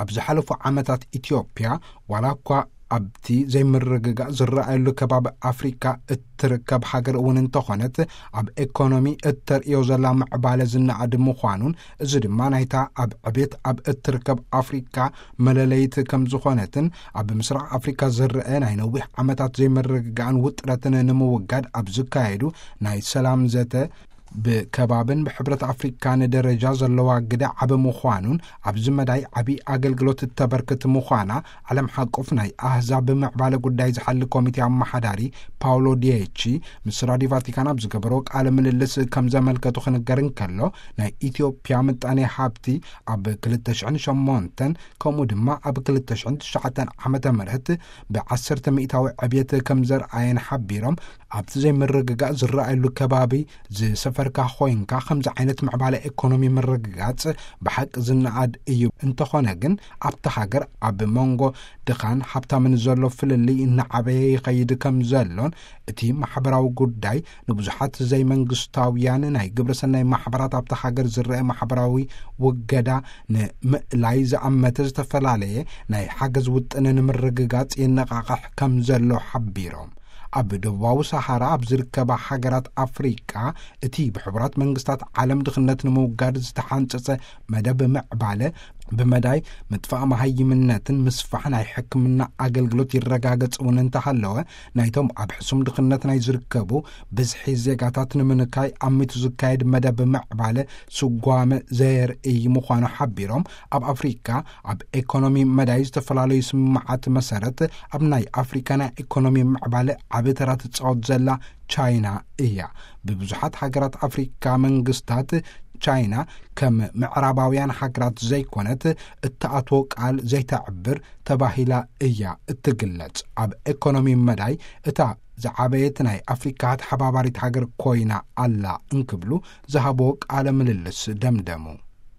ኣብ ዝሓለፉ ዓመታት ኢትዮጵያ ዋላ እኳ ኣብቲ ዘይምርግጋእ ዝረኣየሉ ከባቢ ኣፍሪካ እትርከብ ሃገር እውን እንተኾነት፣ ኣብ ኤኮኖሚ እተርእዮ ዘላ ምዕባለ ዝነኣድ ምዃኑን፣ እዚ ድማ ናይታ ኣብ ዕቤት ኣብ እትርከብ ኣፍሪካ መለለይት ከም ዝኾነትን፣ ኣብ ምስራቕ ኣፍሪካ ዝረአ ናይ ነዊሕ ዓመታት ዘይምርግጋእን ውጥረትን ንምውጋድ ኣብ ዝካየዱ ናይ ሰላም ዘተ ብከባብን ብሕብረት ኣፍሪካን ደረጃ ዘለዋ ግደ ዓቢ ምዃኑን፣ ኣብዚ መዳይ ዓቢ ኣገልግሎት እተበርክት ምዃና ዓለም ሓቆፍ ናይ ኣህዛብ ምዕባለ ጉዳይ ዝሓሊ ኮሚቴ ኣመሓዳሪ ፓውሎ ዲየቺ ምስ ራዲዮ ቫቲካን ኣብ ዝገበሮ ቃለ ምልልስ ከም ዘመልከቱ ክንገር እንከሎ፣ ናይ ኢትዮጵያ ምጣኔ ሃብቲ ኣብ ክልተ ሽሕን ሸሞንተን ከምኡ ድማ ኣብ ክልተ ሽሕን ትሽዓተን ዓመተ ምህረት ብዓሰርተ ሚእታዊ ዕብየት ከም ዘርኣየን ሓቢሮም፣ ኣብቲ ዘይምርግጋእ ዝረኣየሉ ከባቢ ዝሰፈርካ ኮይንካ ከምዚ ዓይነት ምዕባለ ኤኮኖሚ ምርግጋጽ ብሓቂ ዝነኣድ እዩ። እንተኾነ ግን ኣብቲ ሃገር ኣብ መንጎ ድኻን ሃብታምን ዘሎ ፍልልይ እናዓበየ ይኸይድ ከም ዘሎን፣ እቲ ማሕበራዊ ጉዳይ ንብዙሓት ዘይመንግስታውያን ናይ ግብረሰናይ ማሕበራት ኣብቲ ሃገር ዝረአ ማሕበራዊ ውገዳ ንምእላይ ዝኣመተ ዝተፈላለየ ናይ ሓገዝ ውጥን ንምርግጋጽ የነቓቕሕ ከም ዘሎ ሓቢሮም። ኣብ ደቡባዊ ሰሃራ ኣብ ዝርከባ ሃገራት ኣፍሪቃ እቲ ብሕቡራት መንግስታት ዓለም ድኽነት ንምውጋድ ዝተሓንጸጸ መደብ ምዕባለ ብመዳይ ምጥፋእ መሃይምነትን ምስፋሕ ናይ ሕክምና ኣገልግሎት ይረጋገጽ እውን እንተሃለወ፣ ናይቶም ኣብ ሕሱም ድኽነት ናይ ዝርከቡ ብዝሒ ዜጋታት ንምንካይ ኣሚቱ ዝካየድ መደብ ምዕባለ ስጓመ ዘየርእይ ምዃኑ ሓቢሮም፣ ኣብ ኣፍሪካ ኣብ ኤኮኖሚ መዳይ ዝተፈላለዩ ስምምዓት መሰረት ኣብ ናይ ኣፍሪካ ናይ ኤኮኖሚ ምዕባለ ዓቢ ተራ ትጻወት ዘላ ቻይና እያ። ብብዙሓት ሃገራት ኣፍሪካ መንግስታት ቻይና ከም ምዕራባውያን ሃገራት ዘይኮነት እተኣትዎ ቃል ዘይተዕብር ተባሂላ እያ እትግለጽ። ኣብ ኤኮኖሚ መዳይ እታ ዝዓበየት ናይ ኣፍሪካ ተሓባባሪት ሃገር ኮይና ኣላ እንክብሉ ዝሃብዎ ቃለ ምልልስ ደምደሙ።